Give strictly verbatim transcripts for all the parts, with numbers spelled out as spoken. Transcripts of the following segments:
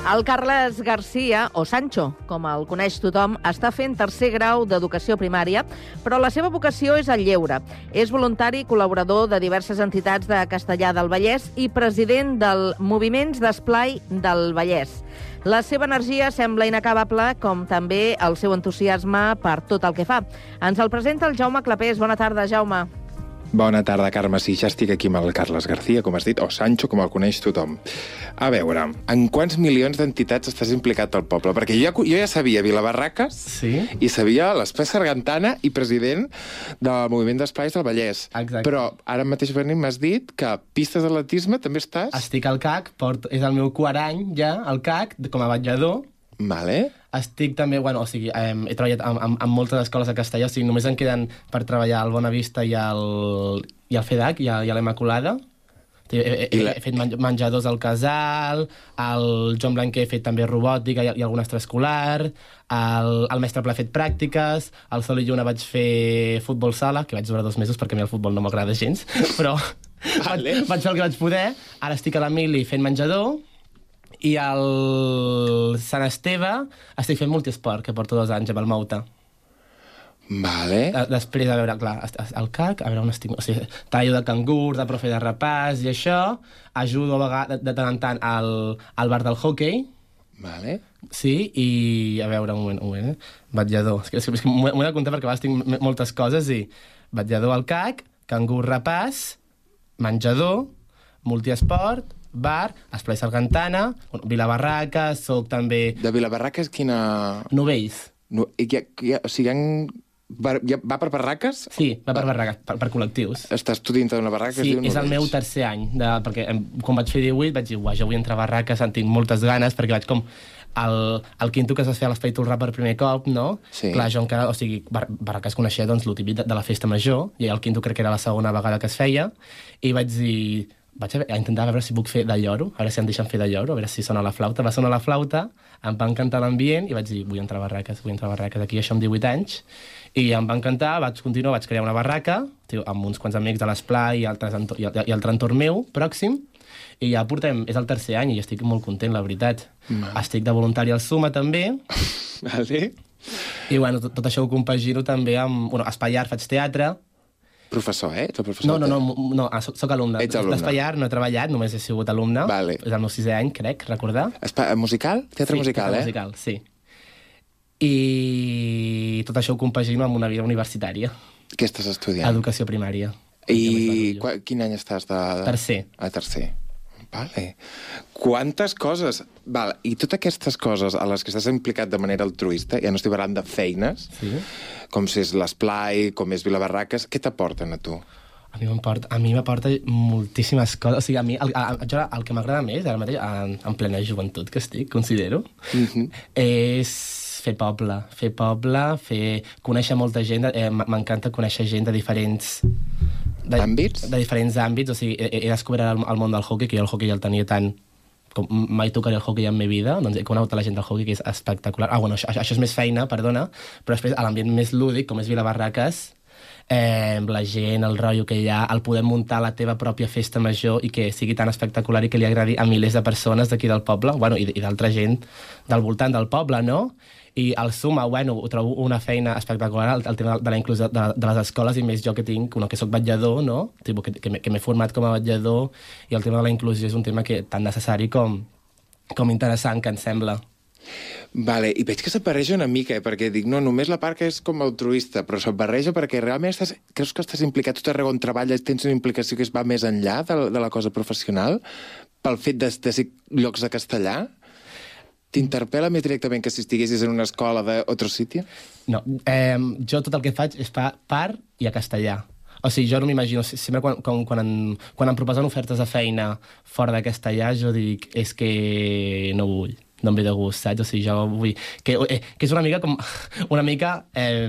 El Carles Garcia, o Sancho, com el coneix tothom, està fent tercer grau d'educació primària, però la seva vocació és el lleure. És voluntari i col·laborador de diverses entitats de Castellar del Vallès i president del Moviments d'Esplai del Vallès. La seva energia sembla inacabable, com també el seu entusiasme per tot el que fa. Ens el presenta el Jaume Clapés. Bona tarda, Jaume. Bona tarda, Carme. Sí, ja estic aquí amb el Carles Garcia, com has dit, o Sancho, com el coneix tothom. A veure, en quants milions d'entitats estàs implicat al poble? Perquè jo ja, jo ja sabia Vilabarraques, sí? I sabia l'Esplai Sargantana i president del Moviment d'Esplais del Vallès. Exacte. Però ara mateix venim m'has dit que pistes d'atletisme també estàs? Estic al C A C, porto, és el meu quart any ja, al C A C, com a vetllador. Vale. Estic també, bueno, o sigui, eh, he treballat amb, amb, amb moltes escoles de Castellà, o sigui, només em queden per treballar al Bona Vista i al, i al FEDAC i a, i a l'Immaculada. He, he, he, he fet menjadors al casal, al Joan Blanquer he fet també robòtica i, i algun extraescolar, el, el mestre Pla ha fet pràctiques, al Sol i Lluna vaig fer futbol sala, que vaig durar dos mesos perquè a mi el futbol no m'agrada gens, però vale. vaig, vaig fer el que vaig poder. Ara estic a l'Emili fent menjador, i al Sant Esteve estic fent multiesport, que porto dos anys amb el Mouta. Vale. Després, a veure, clar, al C A C, a veure on estic... O sigui, tallo de cangur, de profe de repàs i això. Ajudo a vegades, de tant en tant al, al bar del hockey. Vale. Sí, i a veure, un moment, un moment, eh? Vetllador. És que, és que m'ho he de comptar perquè a vegades tinc moltes coses i... Vetllador al C A C, cangur repàs, menjador, multiesport, bar, Esplai Sargantana, bueno, Vilabarraques, soc també... De Vilabarraques, quina... Novells. No, i ja, ja, o sigui, han... va, ja, va per barraques? Sí, va per barraques, per, per col·lectius. Estàs tu dintre d'una barraca? Sí, es diu és el Novells. meu tercer any, de, perquè quan vaig fer divuit vaig dir, uah, jo vull entrar a barraques, en tinc moltes ganes, perquè vaig com... El, el quinto que es va fer a l'Espai Tolrà per primer cop, no? Sí. Clar, jo encara, o sigui, bar, barraques coneixia doncs, lo típic de, de la festa major, i el quinto crec que era la segona vegada que es feia, i vaig dir... Vaig a, a intentar veure si puc fer de lloro, a veure si em deixen fer de lloro, a veure si sona la flauta. Va sonar la flauta, em va encantar l'ambient i vaig dir, vull entrar a barraques, vull entrar a barraques. Aquí això amb divuit anys. I em va encantar, vaig continuar, vaig crear una barraca, tio, amb uns quants amics de l'Esplai i, altres i, i altre entorn meu, pròxim, i ja portem, és el tercer any i estic molt content, la veritat. Mm. Estic de voluntari al Suma, també. Vale. I bueno, tot, tot això ho compagino també amb... Bueno, a Espaiar faig teatre. Professor, eh? Ets el professor? No, no, no, no soc, soc alumne. Ets alumne. D'Espaiar no he treballat, només he sigut alumne. Vale. És el meu sisè any, crec, recordar. Espa musical? Teatre sí, musical, teatre eh? musical, sí. I tot això ho compagino amb una vida universitària. Què estàs estudiant? Educació primària. I qu quin any estàs de... Tercer. Ah, tercer. Vale. Quantes coses... Vale. I totes aquestes coses a les que estàs implicat de manera altruista, ja no estic parlant de feines, sí. Com si és l'Esplai, com és Vilabarraques, què t'aporten a tu? A mi m'aporta, a mi m'aporta moltíssimes coses. O sigui, a mi el, el, el que m'agrada més, ara mateix, en, en plena joventut que estic, considero, Mm-hmm. és fer poble. Fer poble, fer... conèixer molta gent. Eh, M'encanta conèixer gent de diferents... De, àmbits? De diferents àmbits. O sigui, he, he descobert el, el món del hockey, que jo el hockey ja el tenia tant... Com mai tocaré el hockey en la meva vida, doncs he conegut la gent del hockey, que és espectacular. Ah, bueno, això, això és més feina, perdona, però després a l'ambient més lúdic, com és Vilabarraques, eh, la gent, el rotllo que hi ha, el poder muntar la teva pròpia festa major i que sigui tan espectacular i que li agradi a milers de persones d'aquí del poble, bueno, i, i d'altra gent del voltant del poble, no? I al Suma, bueno, ho trobo una feina espectacular, el, el tema de la inclusió de, de les escoles, i més jo que tinc, bueno, que soc vetllador, no? Tipo, que, que m'he format com a vetllador, i el tema de la inclusió és un tema que tan necessari com, com interessant, que em sembla. Vale, i veig que se't barreja una mica, eh? Perquè dic, no, només la part que és com altruista, però se't barreja perquè realment estàs, creus que estàs implicat tot arreu on treballes, tens una implicació que es va més enllà de, de la cosa professional, pel fet de, de ser llocs de castellà? T'interpel·la més directament que si estiguessis en una escola d'altre sitio? No, eh, jo tot el que faig és pa, par i a castellà. O sigui, jo no m'imagino, sempre quan, quan, quan, em, quan em proposen ofertes de feina fora de castellà, jo dic, és que no vull. no em ve de gust, saps? O sigui, jo vull... Que, eh, que és una mica com... Una mica eh,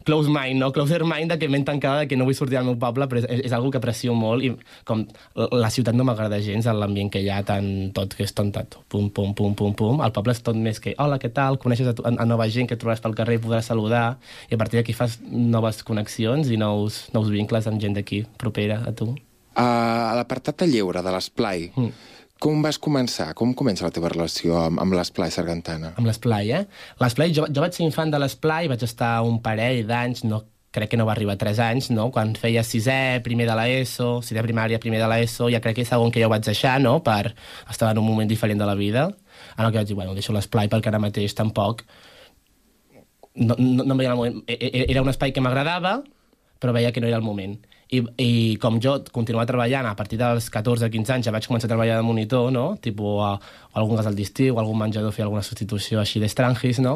close mind, no? Closer mind, de que m'he tancada, de que no vull sortir al meu poble, però és, és algo que aprecio molt i com la ciutat no m'agrada gens, l'ambient que hi ha, tant tot que és tot, tot, pum, pum, pum, pum, pum. El poble és tot més que, hola, què tal? Coneixes a, a, a nova gent que et trobaràs pel carrer i podràs saludar, i a partir d'aquí fas noves connexions i nous, nous vincles amb gent d'aquí, propera a tu. Uh, a l'apartat de lleure, de l'esplai, mm. Com vas començar? Com comença la teva relació amb, amb l'Esplai Sargantana? Amb l'Esplai, eh? L'Esplai, jo, jo vaig ser infant de l'Esplai, vaig estar un parell d'anys, no, crec que no va arribar a tres anys, no? Quan feia sisè, primer de l'ESO, sisè primària, primer de l'ESO, ja crec que és segon que jo vaig deixar, no?, per estar en un moment diferent de la vida. En el que vaig dir, bueno, deixo l'Esplai perquè ara mateix tampoc... No, no, no em veia el moment. Era un espai que m'agradava, però veia que no era el moment. I, i com jo continuava treballant, a partir dels catorze quinze anys ja vaig començar a treballar de monitor, no? Tipo, a, a algun casal d'estiu, algun menjador, fer alguna substitució així d'estrangis, no?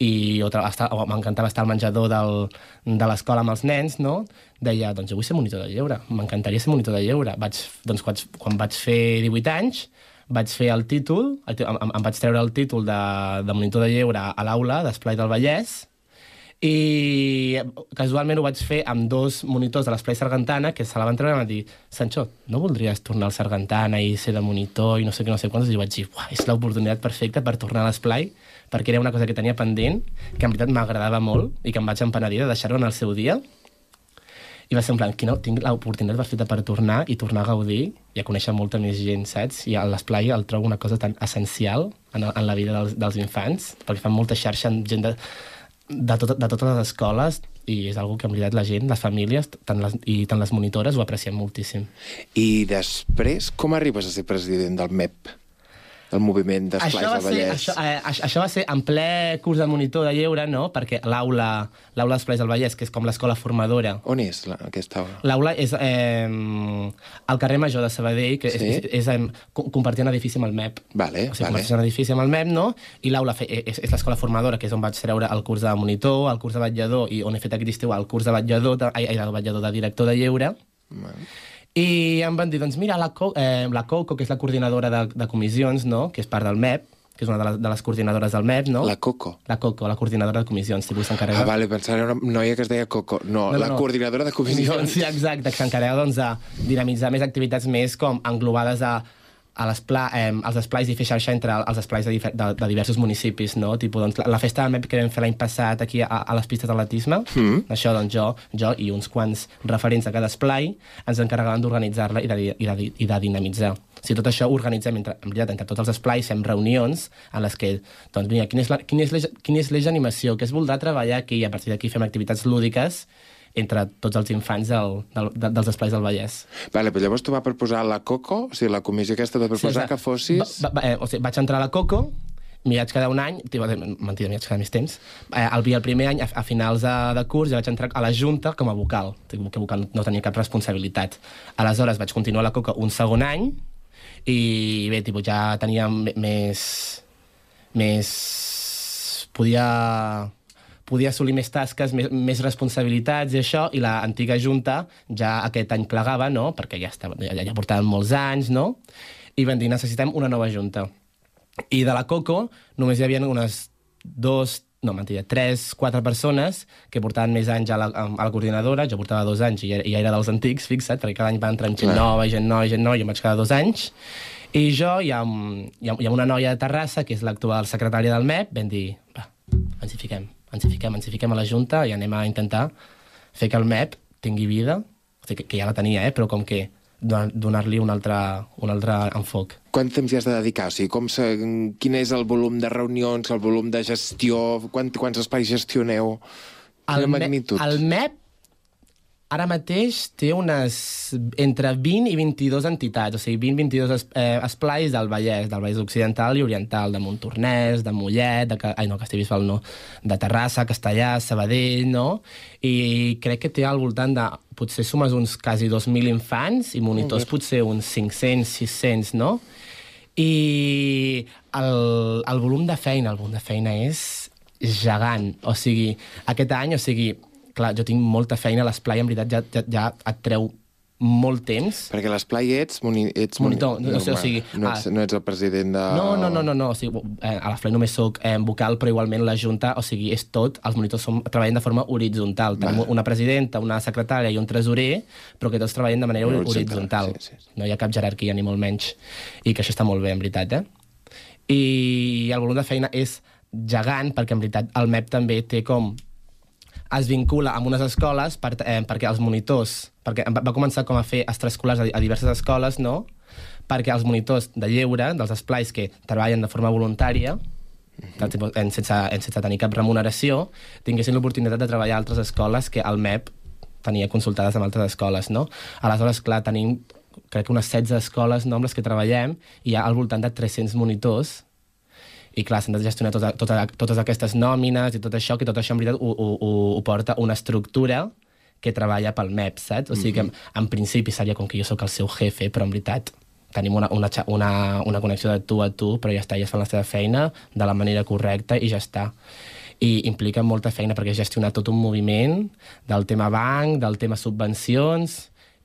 I m'encantava estar al menjador del, de l'escola amb els nens, no? Deia, doncs jo vull ser monitor de lleure, m'encantaria ser monitor de lleure. Vaig, doncs, quan, quan vaig fer divuit anys, vaig fer el títol, em, em vaig treure el títol de, de monitor de lleure a l'aula d'Esplai del Vallès, i casualment ho vaig fer amb dos monitors de l'Esplai Sargantana que se la van treure i van dir, Sancho, no voldries tornar al Sargantana i ser de monitor i no sé què, no sé quantos? I jo vaig dir, és l'oportunitat perfecta per tornar a l'Esplai, perquè era una cosa que tenia pendent, que en veritat m'agradava molt i que em vaig empenedir de deixar-ho en el seu dia. I va ser en plan, quina, tinc l'oportunitat perfecta per tornar i tornar a gaudir i a conèixer molta més gent, saps? I a l'Esplai el trobo una cosa tan essencial en, en la vida dels, dels infants, perquè fan molta xarxa amb gent de... De, tot, de totes les escoles, i és una que en veritat la gent, les famílies tant les, i tant les monitores ho aprecien moltíssim. I després, com arribes a ser president del M E P? El moviment d'Esplais del Vallès. Això, eh, això va ser en ple curs de monitor de lleure, no? Perquè l'aula l'aula d'Esplais del Vallès, que és com l'escola formadora... On és la, aquesta aula? L'aula és eh, al carrer Major de Sabadell, que sí? és, és, és compartir un edifici amb el M E P. Vale, o sigui, vale. compartir un edifici amb el M E P, no? I l'aula és, és l'escola formadora, que és on vaig treure el curs de monitor, el curs de vetllador, i on he fet aquest estiu el curs de vetllador, de, ai, de vetllador de director de lleure. Vale. I em van dir, doncs mira, la, Co eh, la Coco, que és la coordinadora de, de comissions, no?, que és part del M E P, que és una de les, de les coordinadores del M E P, no? La Coco? La Coco, la coordinadora de comissions, tipus s'encarrega... Ah, vale, pensava era una noia que es deia Coco. No, no, no la no. coordinadora de comissions. Sí, exacte, que s'encarrega, doncs, de dinamitzar més activitats més com englobades a... a eh, als esplais i fer xarxa entre els esplais de, de, de diversos municipis, no? Tipo, doncs, la, la festa del M E P que vam fer l'any passat aquí a, a les pistes d'atletisme, mm. això, doncs, jo, jo i uns quants referents de cada esplai ens encarregaven d'organitzar-la i, de, i, de, i de dinamitzar. O sigui, tot això ho organitzem, entre, en veritat, entre tots els esplais, fem reunions en les que, doncs, mira, quin és l'eix d'animació, què es voldrà treballar aquí, i a partir d'aquí fem activitats lúdiques entre tots els infants del, del, dels esplais del Vallès. Vale, però llavors tu vas proposar la Coco, o sigui, la comissió aquesta de proposar sí, que fossis... Va, va, eh, o sigui, vaig entrar a la Coco, m'hi vaig quedar un any, tio, mentida, m'hi vaig quedar més temps, eh, el, el primer any, a, a finals de, de curs, ja vaig entrar a la Junta com a vocal, que vocal no tenia cap responsabilitat. Aleshores vaig continuar a la Coco un segon any, i bé, tipus, ja tenia més... més... podia... podia assolir més tasques, més, més responsabilitats i això, i l'antiga Junta ja aquest any plegava, no?, perquè ja, estava, ja, ja portaven molts anys, no?, i van dir, necessitem una nova Junta. I de la Coco només hi havia unes dos, no, mentida, tres, quatre persones que portaven més anys a la, a la coordinadora, jo portava dos anys i ja, ja era dels antics, fixa't, perquè cada any va entrar gent nova, gent nova, gent nova, i em vaig quedar dos anys. I jo, hi ha, hi ha, hi ha una noia de Terrassa, que és l'actual secretària del M E P, vam dir, va, ens hi fiquem. ens hi fiquem, ens hi fiquem a la Junta i anem a intentar fer que el M E P tingui vida, o sigui, que, que ja la tenia, eh, però com que donar-li un altre, un altre enfoc. Quant temps hi has de dedicar? O sigui, com se, quin és el volum de reunions, el volum de gestió, quant, quants espais gestioneu? Quina magnitud? El M E P ara mateix té unes entre vint i vint-i-dues entitats, o sigui, vint a vint-i-dos es, eh, esplais del Vallès, del Vallès Occidental i Oriental, de Montornès, de Mollet, de, ai no, Castellbisbal no, de Terrassa, Castellà, Sabadell, no? I crec que té al voltant de, potser sumes uns quasi dos mil infants i monitors potser uns cinc-cents, sis-cents, no? I el, el volum de feina, el volum de feina és gegant, o sigui, aquest any, o sigui, clar, jo tinc molta feina a l'esplai, en veritat ja, ja, ja et treu molt temps. Perquè a l'esplai ets, moni, ets monitor. No, no, sé, o sigui, no, ets, no ets el president de... No, no, no, no, no. O sigui, a l'esplai només soc eh, vocal, però igualment la Junta, o sigui, és tot, els monitors som, treballen de forma horitzontal. Va. Tenim una presidenta, una secretària i un tresorer, però que tots treballen de manera no, horitzontal. Sí, sí, sí. No hi ha cap jerarquia, ni molt menys. I que això està molt bé, en veritat, eh? I el volum de feina és gegant, perquè en veritat el M E P també té com... es vincula amb unes escoles per, eh, perquè els monitors... perquè va començar com a fer extraescolars a, a diverses escoles, no?, perquè els monitors de lleure, dels esplais que treballen de forma voluntària, uh-huh. en, sense, en sense tenir cap remuneració, tinguessin l'oportunitat de treballar a altres escoles que el M E P tenia consultades amb altres escoles, no? Aleshores, clar, tenim, crec que unes setze escoles, no, amb les que treballem, i hi ha al voltant de tres-cents monitors, i clar, s'han de gestionar tota, tota, totes aquestes nòmines i tot això, que tot això en veritat ho, ho, ho porta una estructura que treballa pel M E P, saps? O sigui que, en, en principi, seria com que jo sóc el seu jefe, però en veritat tenim una, una, una, una connexió de tu a tu, però ja està, ja es fan la seva feina de la manera correcta i ja està. I implica molta feina perquè gestionar tot un moviment del tema banc, del tema subvencions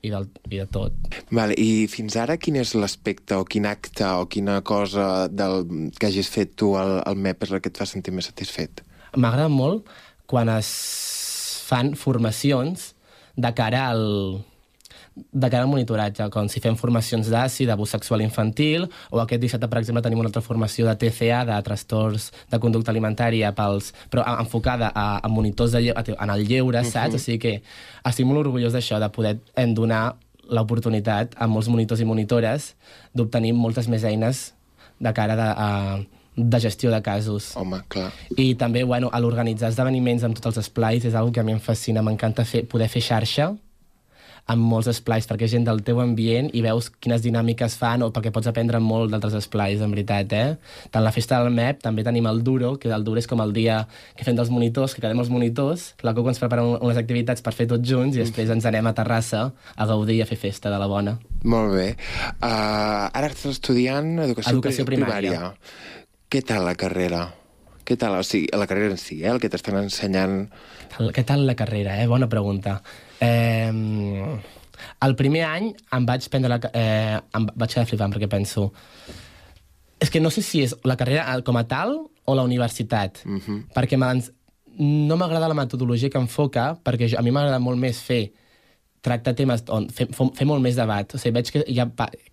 i, del, i de tot. Vale, i fins ara quin és l'aspecte o quin acte o quina cosa del, que hagis fet tu al, al M E P és la que et fa sentir més satisfet? M'agrada molt quan es fan formacions de cara al, de cara al monitoratge, com si fem formacions d'A S I, d'abús sexual infantil, o aquest dissabte, per exemple, tenim una altra formació de T C A, de trastorns de conducta alimentària, pels, però enfocada a, a monitors de lleure, en el lleure, saps? Uh-huh. O sigui que estic molt orgullós d'això, de poder donar l'oportunitat a molts monitors i monitores d'obtenir moltes més eines de cara de, a, de gestió de casos. Home, clar. I també, bueno, a l'organitzar esdeveniments amb tots els esplais és una que a mi em fascina, m'encanta fer, poder fer xarxa amb molts esplais, perquè és gent del teu ambient i veus quines dinàmiques fan, o perquè pots aprendre molt d'altres esplais, en veritat, eh? Tant la festa del M E P, també tenim el Duro, que el Duro és com el dia que fem dels monitors, que quedem els monitors, la Coco ens prepara unes activitats per fer tots junts i després ens anem a Terrassa a gaudir i a fer festa de la bona. Molt bé. Uh, ara estàs estudiant educació, educació primària. primària. Què tal la carrera? Què tal, o sigui, la carrera en si, eh? El que t'estan ensenyant... Què tal la carrera, eh? Bona pregunta. Eh, el primer any em vaig prendre la... Eh, em vaig quedar flipant perquè penso... És que no sé si és la carrera com a tal o la universitat. Uh-huh. Perquè no m'agrada la metodologia que enfoca, perquè jo, a mi m'agrada molt més fer tracta temes on fer, fer molt més debat. O sigui, veig que hi ha,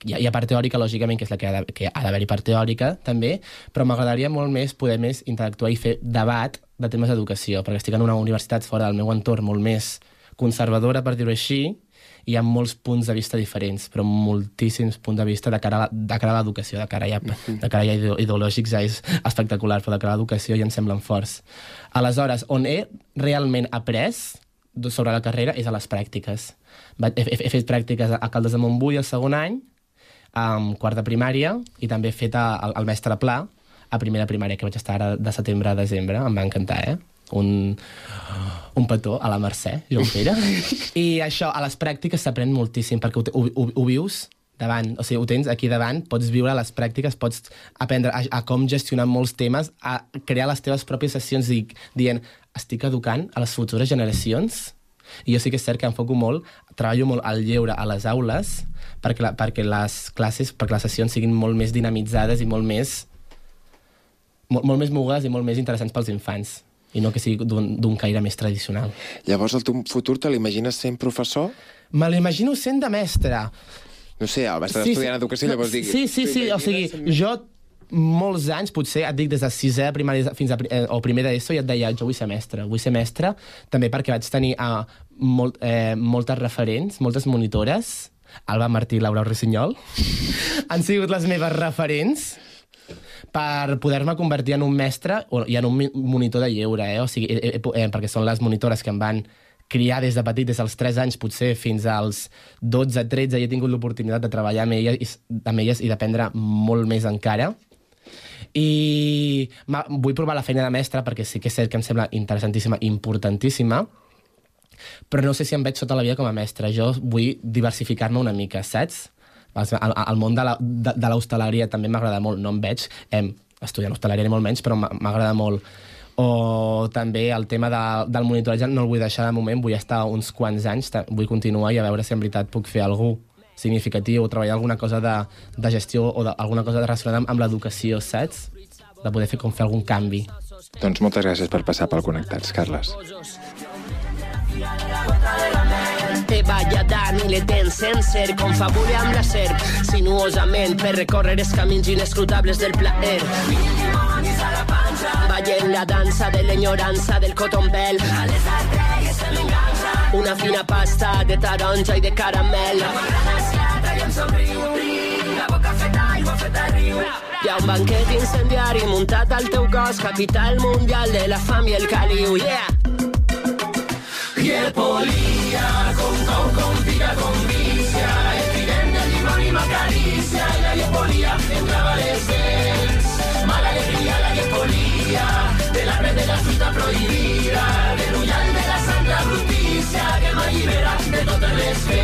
hi ha, hi ha part teòrica, lògicament, que és la que ha, de, que ha d'haver-hi part teòrica, també, però m'agradaria molt més poder més interactuar i fer debat de temes d'educació, perquè estic en una universitat fora del meu entorn molt més conservadora, per dir-ho així, i hi ha molts punts de vista diferents, però moltíssims punts de vista de cara a, de cara a l'educació, de cara, ja, de cara ja ideològics ja és espectacular, però de cara a l'educació ja em semblen forts. Aleshores, on he realment après sobre la carrera és a les pràctiques. He, he, he fet pràctiques a Caldes de Montbui el segon any, um, quart de primària, i també he fet el, el mestre Pla a primera primària, que vaig estar ara de setembre a desembre. Em va encantar, eh? Un, un petó a la Mercè, Joan Pere. I això, a les pràctiques s'aprèn moltíssim, perquè ho, ho, ho, ho vius davant, o sigui, ho tens aquí davant, pots viure les pràctiques, pots aprendre a, a com gestionar molts temes, a crear les teves pròpies sessions i, dient, estic educant a les futures generacions. I jo sí que és cert que enfoco molt, treballo molt al lleure a les aules perquè, la, perquè les classes, perquè les sessions siguin molt més dinamitzades i molt més molt, molt més mogudes i molt més interessants pels infants, i no que sigui d'un caire més tradicional. Llavors, el teu futur te l'imagines sent professor? Me l'imagino sent de mestre. No sé, vas estar sí, estudiant sí. educació, llavors dic... Sí, sí, sí, o sigui, jo molts anys, potser, et dic des de sisè primària fins a eh, o primer d'ESO, i et deia, jo vull ser mestre, vull ser mestre, també perquè vaig tenir eh, molt, eh, moltes referents, moltes monitores, Alba Martí i Laura Rossinyol, han sigut les meves referents per poder-me convertir en un mestre i en un monitor de lleure, eh? O sigui, eh, eh, perquè són les monitores que em van criar des de petit, des dels tres anys, potser fins als dotze, tretze, i he tingut l'oportunitat de treballar amb elles, amb elles i d'aprendre molt més encara. I vull provar la feina de mestre perquè sí que és cert que em sembla interessantíssima, importantíssima, però no sé si em veig sota la vida com a mestre. Jo vull diversificar-me una mica, saps? El, el món de l'hostaleria també m'agrada molt, no em veig eh, estudiant hostaleria ni molt menys, però m'agrada molt. O també el tema de, del monitoratge no el vull deixar de moment, vull estar uns quants anys, vull continuar i a veure si en veritat puc fer alguna cosa significatiu o treballar alguna cosa de, de gestió o de, alguna cosa relacionada amb, amb l'educació, saps? De poder fer com fer algun canvi. Doncs moltes gràcies per passar pel Connectats, Carles. Teva lladant i l'etens sencer, confabule amb la serp, sinuosament per recórrer els camins inescrutables del plaer. Ballem la dansa de l'enyorança del cotombel, a les artèries se m'enganxa una fina pasta de taronja i de caramel. La m'agrada esclata i em somriu, la boca feta, aigua feta riu. Hi ha un banquet incendiari muntat al teu cos, capital mundial de la fam i el caliu, yeah! Y el polía, con con con pica con vicia, el tridente de limón y macaricia, y la polía entraba descens, mala alegría la polía, de la red de la fruta prohibida, del ullal de la santa justicia, que m'allibera de totes les veus.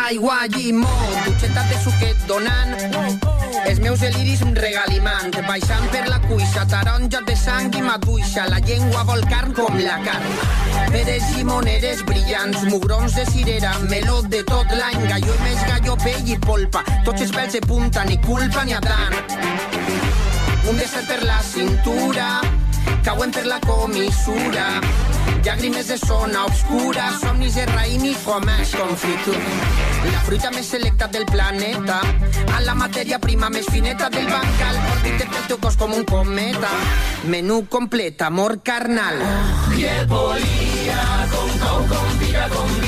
Aigua, llimó, dutxetes de suquet donant, els meus deliris regalimant, baixant per la cuixa, taronja de sang i maduixa, la llengua vol carn com la carn. Peres llimoneres brillants, mugrons de cirera, meló de tot l'any, galló i més galló, pell i polpa, tots els pèls de punta, ni culpa ni Adán. Un desert per la cintura, cauen per la comissura, llàgrimes de zona obscura, somnis de raïm i comès confitura. La fruita més selecta del planeta, a la matèria prima més fineta del bancal, orbita pel teu cos com un cometa. Menú complet, amor carnal. Y el polía, con con con pica con